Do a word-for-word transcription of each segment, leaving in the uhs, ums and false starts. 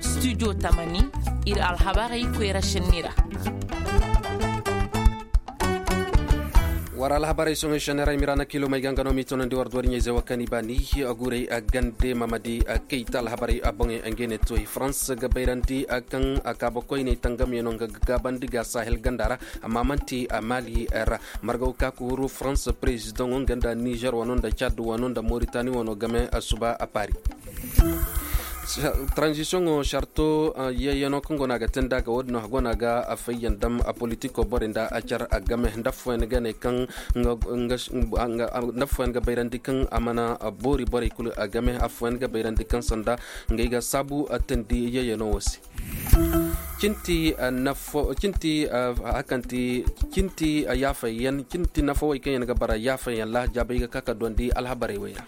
Studio tamani, ir alhabarey koyra šenni ra. War alhabarey sohõ šenni ra i ma i ra na kiilomey ga nga no m'i toonandi war dooriɲey ze wa kaŋ i ba ni. Guurey gande mamadi kayta alhabarey boŋey ngey ne toy farans ga bayrandi kaŋ kaabakoyney tangamyaŋo nga ga gaabandi ga sahel ganda ra. Amma man'ti maali ra. Margaw ka ga huru farans perezidaŋo nga nda nizer wano nda cad wano nda moritani wano game suba a paari. Taranzisiyoŋo sarto yeeyano kaŋ go no a ga te nda a ga wo- din no a go no a ga fayyaŋ dam politiko borey nda a car game nda affooyaŋ ga ne kaŋ nda affooyaŋ ga bayrandi kaŋ a mana boori borey kulu game affooyaŋ ga bayrandi kaŋ sanda ngey ga saabu teendi yeeyano wo se. Cinti nafo cinti hakanti cinti yaafayyaŋ cinti nafawey kaŋ yaŋ ga bara yaafayyaŋ ra jaabey ga ka ka duwandi alhabarey wey ra.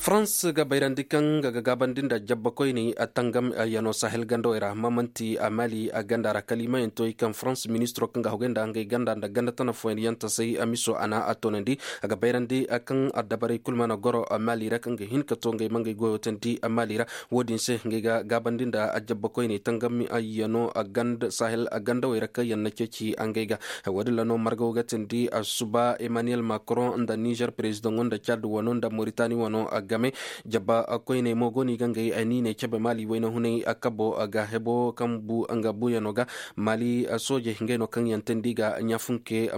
Farans ga bayrandi kaŋ nga ga gaabandi nda jabbakoyney tangam yaŋo sahel gandawey ra mamanti mali ganda ra kalimayaŋ to i kaŋ farans ministiro kaŋ ga hogay nda ngey ganda nda ganda tana fooyaŋ yaŋ tasay miso a na a toonandi. A ga bayrandi kaŋ addabarey kulu mana goro mali ra kaŋ ga hin ka to ngey ma ngey goyo teendi mali ra. Wo- din se ngey ga gaabandi nda jabbakoyney tangam yaŋo sahel gandawey ra kaŋ yaŋ na ceeci ngey ga. Wo- din ra no margaw ga teendi suba emmanuel macron nda nizer perezidaŋo nda cad wano nda moritani wano game. Jabba koyney mo go no i ga ngey niiney cabe mali wayna hunay kabo ga hebo kaŋ bu nga buuyaŋo ga. Mali soojey ngey no kaŋ yaŋ teendi ga ɲaafunke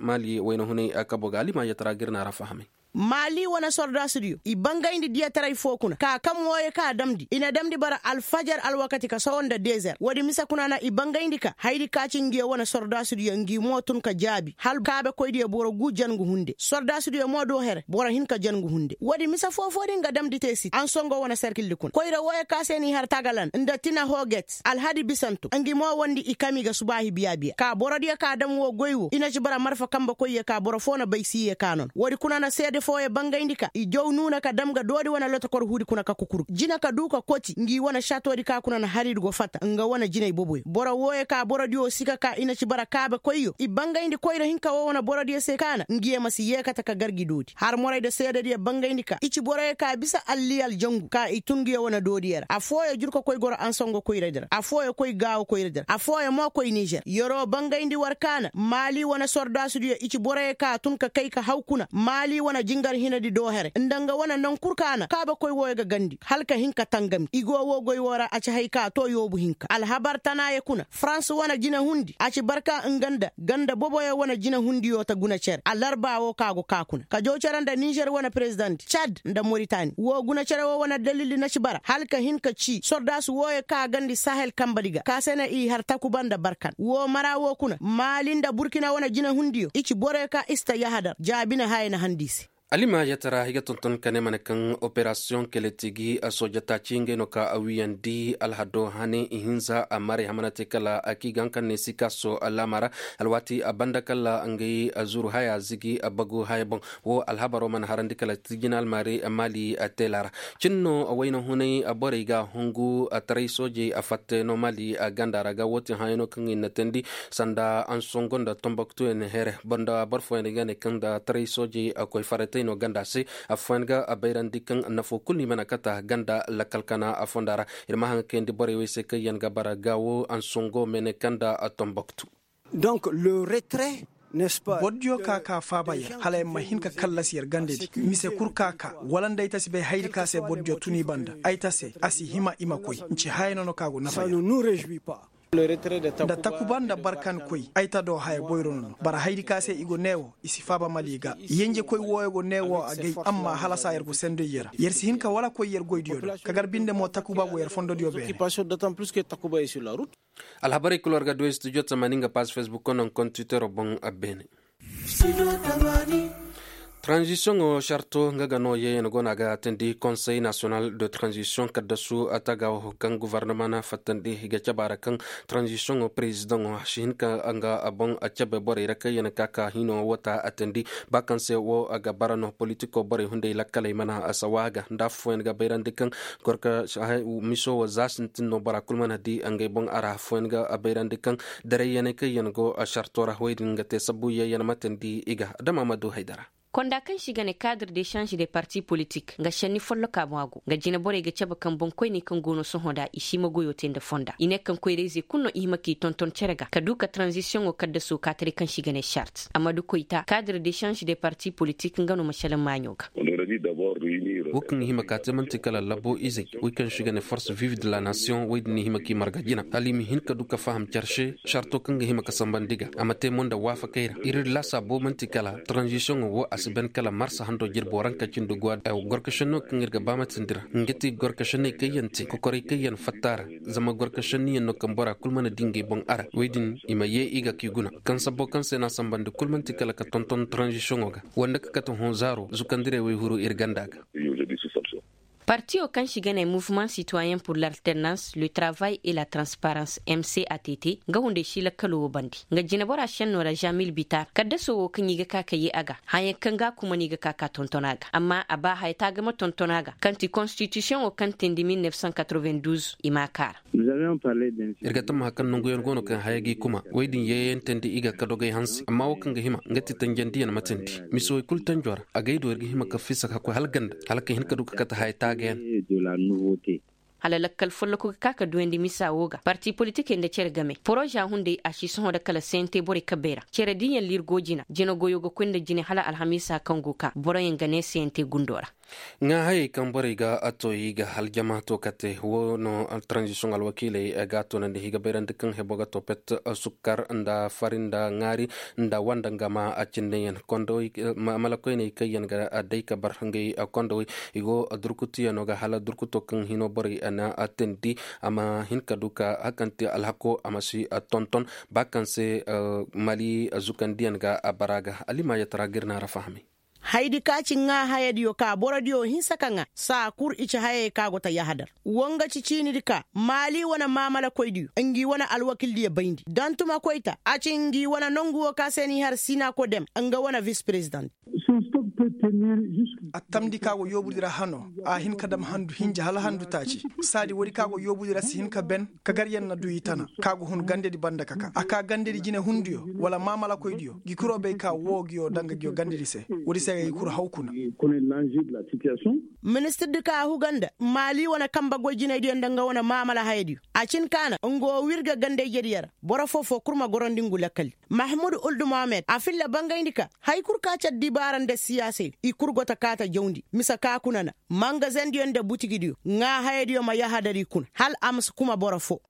mali wayna hunay kabo ga alima yatara ga ir na ra fahamay. Maali wane sordaasudiyo i bangayndi diyataray fo kuna ka kam wooyo ka damndi i na damndi bara alfajar alwakati ka sohõ nda dezer woodi mise kuna na i bangayndi ka hayadi ka ci ngiyo wane sordaasudiyo ngi mo tun ka jaabi hala kaabekoydiyo boro gu jangu hunde sordaasudiyo mo do here boro hin ka jangu hunde woodi mise foo-foo din ga damndi te sit ansongo wane serkildi kuna koyra wooyo ka se n'i har tagalan nda tina hoget alhadi bisanto ngi mo wondi i kam i ga subaahi biya-biya ka borodiyo ka dam woo goy woo i na ci bara marfa kambekoyyo ka boro foo na bay si ye ka noon woodi kuna na seede fooyo bangayndi ka i jaw nuuna ka dam ga doodi wane lotokor huudi kuna ka kukur jina ka duu ka koti ngi wane satoodi ka kuna na hariidi go fata nga wane jinay boboyo boro wooyo ka borodiyo si ka ka i na ci bara kaabekoyyo i bangayndi koyra hinka woo wane borodiyo se ka na ngiyo ma si yeekate ka gar gi doodi har morayda seedediyo bangayndi ka i ci boroyo ka bisa alliyal jangu ka i tun ngiyo wane doodiyo ra affooyo jur ka koy goro ansongo koyradi ra affooyo koy gaawo koyradi ra affooyo mo koy nizer yeroo bangayndi war ka na maali wane sordaasudiyo i ci boroyo ka tun ka kay ka haw kuna maali wane jingar hinadi doo here nda nga wane naŋ kul ka na kaabekoy wooyo ga gandi hala ka hin ka tangami i go woo goy woo ra a ci hay ka too yoobu hinka alhabar tanaayo kuna farans wane jinahundi a ci barka nga nda ganda boboyo wane jinahundiyo ta guna cere alarba woo ka go ka kuna ka jaw cere nda nizer wane perezidant cad nda moritani woo guna cere woo wane dalildi na ci bara hala ka hin ka ci sordaasu wooyo ka gandi sahel kambedi ga ka se na i har takuba nda barkan woo mara woo kuna maali nda burkina wane jinahundiyo i ci boroyo ka i si ta yahadar jaabine haya na handi i se. Alima yatara i ga tonton ka ne ma ne kaŋ operasiyoŋ keletigi soojataaci ngey no ka a wiyandi alhado hane ihinza a maray hamana te kala a k'i ga haŋ kaŋ ne sikaaso laama ra alwaati a banda kala ngey zuru haya zigi a bagu haya boŋ. Wo alhabaro mana harandi kala tijinal maari maali teela ra cin no wayna hunay borey ga hungu taray soojey a fatte no maali ganda ra ga wootin hayano kaŋ i na teendi sanda ansongo nda tomboktuyaŋ here boro nda boro fooyaŋ ga ne kaŋ nda taray soojey koy faratay no ganda se. Affooyaŋ ga bayrandi kaŋ nafo kulu no i mana kata ganda lakkal kana fonda ra. Ir ma haŋ ga kayandi borey wey se kaŋ yaŋ ga bara gaawo ansongo mene kaŋ nda tomboktu. Donc le retrait n'est-ce pas? Bordiyo ka ka faaba yer hala yer ma hin ka kallas yer gandedi mise kul ka ka wala nda ay ta si bay hayadi ka se bordiyo tun i banda ay ta se a si hima i ma koy nci haya no no ka go nafa yer. Nda takuba nda barkan koy ay ta do haya goyro no no bara hayadi ka se i go neewo i si faaba mali ga yenjekoy wooyo go neewo agay amma hala saa yer go sendoy yer ra yer si hin ka wala koy yer goydiyo do ka gar binde mo takuba go yer fondodiyo beene. Alhabarey kul war ga du studio tamaani nga paaz facebook ko naŋ kontitero boŋ. Beene. Taranzisiyoŋo sarto nga ga no yeeyan go no a ga teendi konsey nasiyonal de taranzisiyoŋ kaddasu tagaawo kaŋ govornoma na fattandi i ga caba ra kaŋ taranzisiyoŋo perezidaŋo a si hin ka nga boŋ cabe borey ra kaŋ yaŋ ka ka hino wata a teendi ba kaŋ se wo a ga bara no politiko borey hunday lakkaley mana a sawa ga nda affooyaŋ ga bayrandi kaŋ gorka miso wo za sintin no bora kulu mana di ngey boŋ a ra affooyaŋ ga bayrandi kaŋ darayyaney kaŋ yaŋ go sarto ra wey din ga te sabu yeeyan ma teendi i ga dama ma du haydara. Konda kaŋ se i ga ne kaadre de sanze de parti politik nga šenni folloka boŋ a go nga jine borey ga cabe kaŋ boŋkoyney kaŋ go no sohõ nda i si hima goyo te nda fonda i ne kaŋ koyrayzey kulu no i hima k'i tonton cere ga ka du ka taranzisiyoŋo kaddaso ka taray kaŋ se i ga ne sart amma da koyta kaadre de sanze de parti politik nga no ma salaŋ maaɲo ga. Wo kaŋ ga hima ka te man'ti kala labo izey wey kaŋ se i ga ne forse vive de la nation wey din i hima k'i marga jina hala i ma hin ka du ka faham care se sarto kaŋ ga hima ka sambandi ga a ma te mo nda waafakey ra ir laasaabo man'ti kala taranzisiyoŋo wo a si ban kala marsa hando jirbo ra nga ka cindi go a da gorkašenno kaŋ ir ga ba ma tindi ra nga ti gorkašenney kaŋ yaŋ te kokoray kaŋ yaŋ fatta ra. Zama gorkašenniyaŋ no kaŋ bora kulu mana di ngey boŋ a ra wey din i ma ye i ga k'i guna. Kaŋ sabbo kaŋ se no a sambandi kulu man'ti kala ka tonton taranzisiyoŋo ga wande ka kate hõ zaaro zukandirey wey huru ir ganda ga. Partiyo kaŋ se i ga ne mouvement citoyen pour l'alternance le travail et la transparence m c a t t nga hunday si lakkalo wo bande nga jinebora senno ra jamil bitar kaddaso wo kaŋ i ga ka ka ye a ga hayaŋ kaŋ ga a kuma no i ga ka ka tonton a ga amma a ba haya taagama tonton a ga kaŋ ti konstitisiyoŋo kaŋ tindi mil neef san katrovin duuz i m'a kaara. Ir ga tammaha kaŋ nanguyaŋ go no kaŋ haya g'i kuma wey din yeeyantandi i ga ka dogey hanse amma wo kaŋ ga hima nga ti tanjandiyaŋ ma tindi mise wey kulu tanjo ra a gay do ir ga hima ka fisa ka koy hala ganda hala ka hin ka du ka kate haya taagayaŋ. Hala lakkal folloku ga ka ka duyandi misa wo ga parti politikey nda cere game poroza hunday a si sohõ nda kala sente borey kabey ra cere diyaŋ lirgo jina jina goyo ga koy nda jine hala alhamiisa kaŋ go ka boroyaŋ ga ne sente gundo ra. Ŋaahayey kaŋ borey ga a to i ga aljama to kate wo no taranzisiyoŋ alwakiiley ga a toonandi i ga bayrandi kaŋ hebo ga to pet sukkar nda fari nda ŋaari nda wanda nga ma a cinneyaŋ konda malakoyney kaŋ yaŋ ga day ka bar ngey kondawey i go durkutiyano ga hala durkuto kaŋ hino borey na teendi a ma hin ka du ka hakanti alhako a ma si tonton ba kaŋ se mali zukandiyaŋ ga a bara ga alima yatara ga ir na ra fahamay. Haydi ka ci ŋaa hayadiyo ka borodiyo hinsa ka ŋaa saa kul i ci hayey ka go ta yahadar. Wo nga ci ciinidi ka maali wane maamalakoydiyo ngi wane alwakildiyo bayndi dantumakoyta a ci ngi wane nongu wo ka se n'i har siinako dem nga wane vis prezident. A tamndi ka go yoobudi ra hano a hin ka dam handu hinja hala handu taaci. Saadi woodi ka go yoobudi ra si hin ka ben ka gar yaŋ na du i tana ka go hun gandedi banda ka ka a ka gandedi jinehundiyo wala maamalakoydiyo gi kuro bay ka woo ngiyo danga ngiyo gandedi se. Woodi se ga gi kul haw kuna. Ministirdi ka a huga nda maali wane kambe goy jinaydiyo nda nga wane maamala hayadiyo a cin ka na nga woo wirga gandey jediyo ra. Boro foo-foo kul ma gorandi ngu lakkal. Mahmud uldu mohammed a filla bangayndi ka haya kul ka car dibaara nda siyaasey i kul go ta kaa ta jawndi mise ka kuna na mangazendiyo nda butigidiyo ŋaa hayadiyo ma yahadar i kuna hala a ma si kuma boro foo.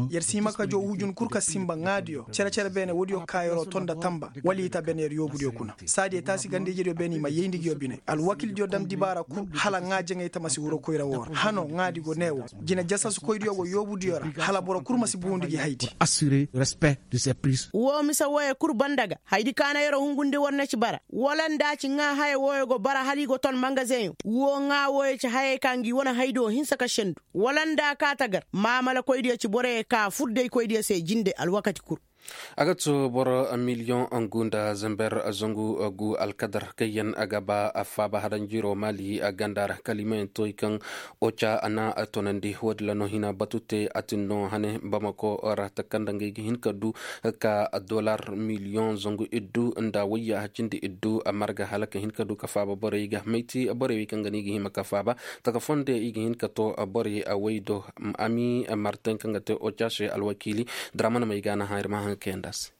Yer si hima ka jaw hujun kul ka sinba ŋaadiyo cere-cere beene woodiyo ka yer'o ton nda tanba wala i ta beene yer yoobudiyo kuna. Saadiyo taasi ganda-ijediyo beene i ma yayndi nguyo bine alwakildiyo dam dibaara kul hala ŋaa jaŋay ta ma si huru koyra woo ra hano ŋaadi go ne woo. Jine jasasukoydiyo go yoobudiyo ra hala boro kul ma si buundi gi haydi. Woo mise wooyo kul banda ga haydi ka na yer'o hungundi war na ci bara wala nda a ci ŋaa haya wooyo go bara hala i go ton mangazeŋyo woo ŋaa wooyo ci hayey ka ngi wane haydiyo hinsa ka sendu wala nda a kaa ta gar maamalakoydiyo ci boroyo ka fuddaykoydiyo se jinde alwakati kul. A ga too boro miliyoŋ ngu nda zamber zangu gu alkadar kaŋ yaŋ ga ba faaba hadanjiro maali ganda ra kala i ma yaŋ tooy kaŋ oca a na tonandi woodin ra no hina batu te a tin no hane bamako ra taka nda ngey ga hin ka du ka dolar miliyoŋ zangu iddu nda wayya cindi iddu marga hala ka hin ka du ka faaba borey ga mayti borey wey kaŋ ga no i ga hima ka faaba. Taka fonde i ga hin ka to borey a way do ami martin kaŋ ga te oca se alwakiili. Dramana may ga na haŋ ir ma haŋ kayanda se.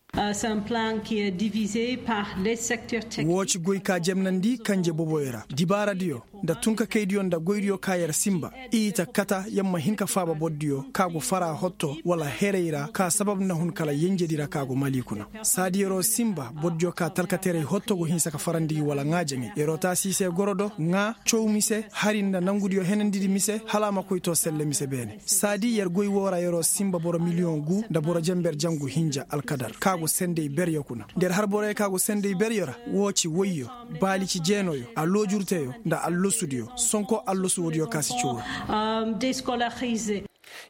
Woo ci goy ka jemnandi kanje boboyo ra dibaaradiyo nda tunkakaydiyo nda goydiyo ka yer sinba i ta kata yer ma hin ka faaba bordiyo ka go fara hotto wala herey ra ka sabab na hun kala yenjedi ra ka go mali kuna. Saadi yer'o sinba bordiyo ka talkateerey hotto go hinsa ka farandi gi wala ŋaa jaŋay yer'o taasi i se goro do ŋaa caw mise hari nda nangudiyo henandidi mise hala a ma koy to selle mise beene. Saadi yer goy woo ra yer'o sinba boro miliyoŋ gu nda boro jenber jangu hinja alkadar ka go senday beryo kuna nda yer har boroyo ka go senday beryo ra. Woo ci woyyo baali ci jeenoyo aloojurteyo nda allasudiyo sonko allasu woodiyo ka si caw ra.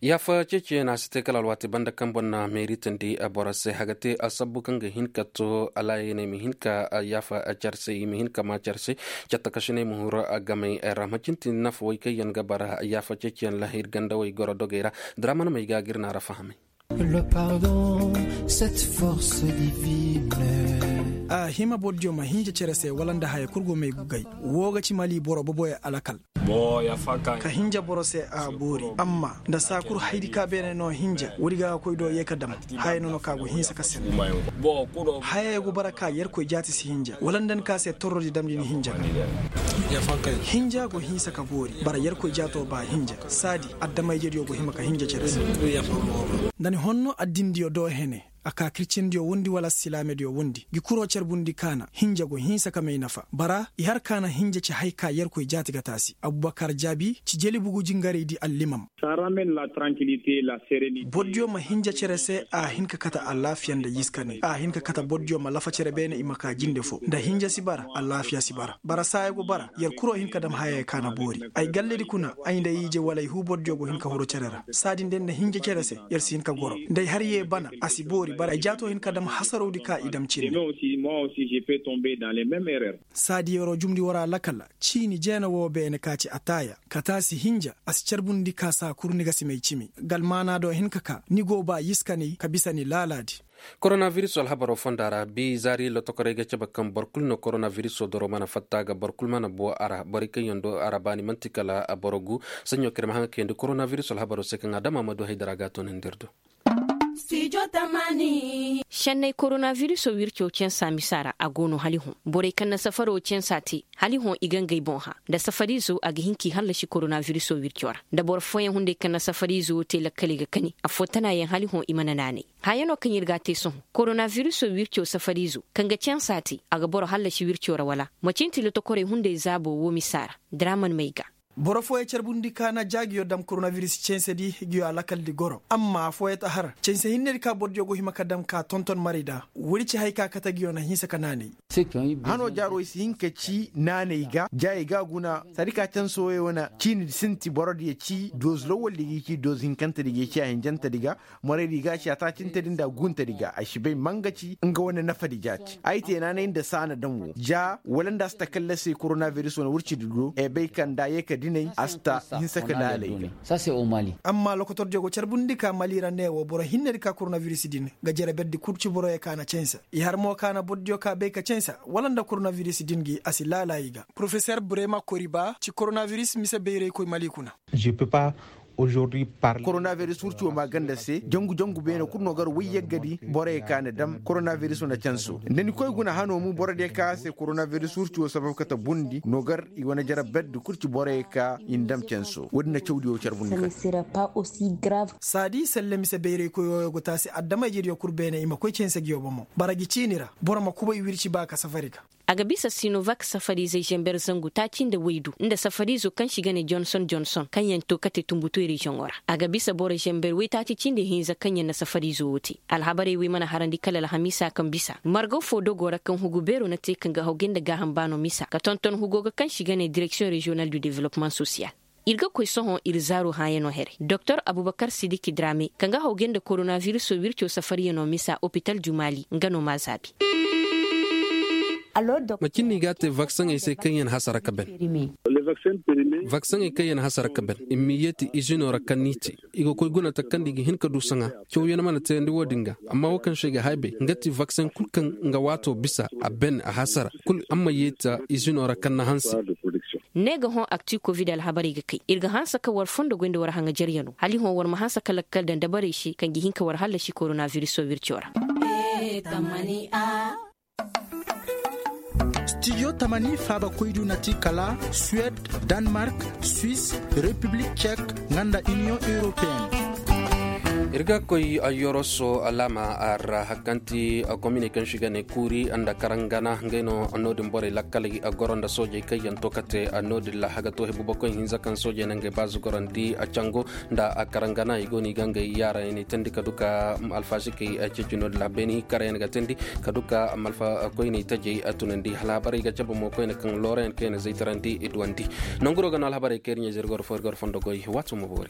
Yaafa ceeciyaŋ a si te kala alwaati banda kaŋ boŋ na meeritandi boro se a ga te asabbu kaŋ ga hin ka to alaayaney ma hin ka yaafa care se i ma hin ka maa care se. Cattakasiney ma huru gamey ra ma cintin nafawey kaŋ yaŋ ga bara yaafa ceeciyaŋ lahir gandawey goro dogey ra. Daramanamey ga ga ir na ra fahamay. Le pardon cette force divine. A hima bordiyo ma hinja cere se wala nda haya kul go may gugay. Woo ga ci mali boro boboyo alakal. Ka hinja boro se a boori amma nda saa kul haydi ka beene no hinja woodi ga ga koy do yee ka dam. Haya no no ka go hinsa ka sen. Hayey go bara ka yerkoy jaati si hinja wala nda ni ka se torrodi damndi ni hinja ga. Hinja go hinsa ka boori bara yerkoy jaato ba hinja. Saadi adama-ijediyo go hima ka hinja cere se. Nda ni honno addindiyo do hene a ka kiricindiyo wondi wala silaamediyo wondi gi kuroo carbundi kaana hinja go hinsa ka may nafa bara i har kaana hinja ci hay ka yerkoy jaati ga taasi abubakar jaabi ci jeli bugu jingaraydi allimam. Bordiyo ma hinja cere se a hin ka kate alaafiya nda yiskani a hin ka kate bordiyo ma lafa cere beene i ma ka jinde foo nda hinja si bara alaafiya si bara bara saaya go bara yer kuroo hin ka dam hayey kaana boori ay galledi kuna ay nda i ije wala ay huu bordiyo go hin ka huru cere ra saadi nda yer na hinja cere se yer si hin ka goro nda ay har yee bana a si boori bara ay jaatoo hin ka dam hasarawdi ka i dam cindi. Saadi yeroo jumndi war alakal ciini jeena woo beene ka ci ataaya ka taasi hinja a si carbundi ka saa kul ni ga si may cimi galmaanaa do hin ka kaa ni go baa yiskanay ka bisa ni laalaadi. Koronavirisoo alhabaroo fondaa ra bi zaari lotokoray ga cabe kaŋ boro kul no koronavirisoo doroo mana fatta ga boro kul mana boo a ra borey kaŋ yaŋ do a ra baani man'ti kala boro gu saɲɲo kaŋ ir ma haŋ ga kayandi koronavirisoo alhabaroo se kaŋ adama ma du haydara ga a toonandi ir do. Senney koronavirisoo wircoo cansa misa ra a go no hala i hõ borey kaŋ na safaro cansa te hala i hõ i ga ngey boŋ hã nda safariizo a ga hin k'i hallasi koronavirisoo wircoo ra nda boro fooyaŋ hunday kaŋ na safariizo te lakkaley ga kani affoo tanaayaŋ hala i hõ i mana naanay. Haya no kaŋ ir ga a te sohõ koronavirisoo wircoo safariizo kaŋ ga cansa te a ga boro hallasi wircoo ra wala? Macin ti lotokorey hunday zaaboo woo misa ra draman may ga. Boro fooyey carbundi ka na ja nguyo dam koronaviris censedi nguyo alakaldi goro amma afooyey ta har cense hinnedi ka bordiyo go hima ka dam ka tonton marayda. Woodi ci hay ka kate nguyo na hinsa ka naanay. Hanoo jaaroo i si hin ka ci naanay ga ja i ga a guna saadi ka canse wooyey wane ciini sinti borodiyo ci doozu lawwaldi ga i ci doozu hinkantedi ga i ci a hinjantedi ga. Moraydi ga a ci a taacintedi nda a guuntedi ga ay si bay ma nga ci nga wane nafadi ja ci ay te naanay nda saana daŋ wo ja wala nda a si ta kallasi koronaviris wane wurcidi do ay bay ka nda a yee ka dinay a si ta hinsa ka laalay ga. Amma lokotordiyo go carbundi ka mali ra ne wo boro hinnedi ka koronaviris din ga jere berdi kul ci boroyo ka na canse i har mo ka na bordiyo ka bay ka canse wala nda koronaviris din gi a si laala i ga. Porofeser brema koriba ci koronaviris mise bayraykoy mali kuna. Koronaviris wurco ma ganda se jangu jangu beene kul no gar wayyaggadi borey ka na dam koronaviris wane canso nda ni koy guna hano mu borodiyo ka se koronaviris wurco sabab kate bundi no gar i wane jara berdi kul ci borey ka i na dam canso wo-din na cawdiyo carbundi kate. Saadi selle mise bayraykoyo go taasi adama-ijediyo kul beene i ma koy canse nguyo bomo bara gi ciini ra boro ma kubay wirci ba ka safari ga. A ga bisa sinovak safariizey zember zangu taaci nda waydu nda safariizo kaŋ se i ga ne jonson jonson kaŋ yaŋ to kate tumbutu reziyoŋo ra a ga bisa boro zember waytaaci cindi hinza kaŋ yaŋ na safariizo wo te. Alhabarey wey mana harandi kala alhamiisa kaŋ bisa margaw fo dogo ra kaŋ hugu beero na te kaŋ ga hawgay nda gaaham baano misa ka tonton hugo ga kaŋ se i ga ne direksiyoŋ reziyonal du developmaŋ sosiyal. Ir ga koy sohõ ir zaaro hãyano here doktor abubakar sidiki drame kaŋ ga hawgay nda koronavirisoo wirco safaryanoo misa opital du mali nga no m'a zaabi. Macin no i g'a te vaksaŋey se kaŋ yaŋ hasara ka ben. Vaksaŋey kaŋ yaŋ hasara ka ben i m'i yeeti izinoo ra kaŋ n'i te i ga koy guna takandi i ga hin ka du saŋa. Cawyaŋ mana teyandi wo-din ga amma wo kaŋ se i ga haybay nga ti vaksaŋ kul kaŋ nga waatoo bisa a ben a hasara kul amma yeeta izinoo ra kaŋ na hanse. Ne ga hõ akti kovid alhabarey ga kay ir ga hanse ka war fondo goy nda war haŋajaryanoo hala i hõ war ma hanse ka lakkal daŋ dabarey se kaŋ ga hin ka war hallasi koronavirisoo wirco ra. Stijo tamani faabakoydu na ti kala suwed, danmark, swis, repiblik cek, nga nda iniyoŋ europeyen. Ir ga koy yoroso alaama ra hakkanti kominey kaŋ se i ga ne kuuri nda karangana ngey no no-din borey lakkaley goro nda soojey kaŋ yaŋ to kate no-din ra a ga to hebu bakoy hinza kaŋ soojey na ngey baazu gorandi cango nda karangana i go no i ga ngey yaarayaŋ i na i teendi ka du ka alfasikey ceeci no-din ra beeni karayaŋ ga teendi ka du ka malfa koyney tajey tunandi hala habarey ga cabe mo koyne kaŋ loorayaŋ kaŋ i na zaytarandi i duwandi. Nanguro ga no alhabarey kaŋ ir ɲa-ize ir goro fo ir goro fondo goy waato ma boori.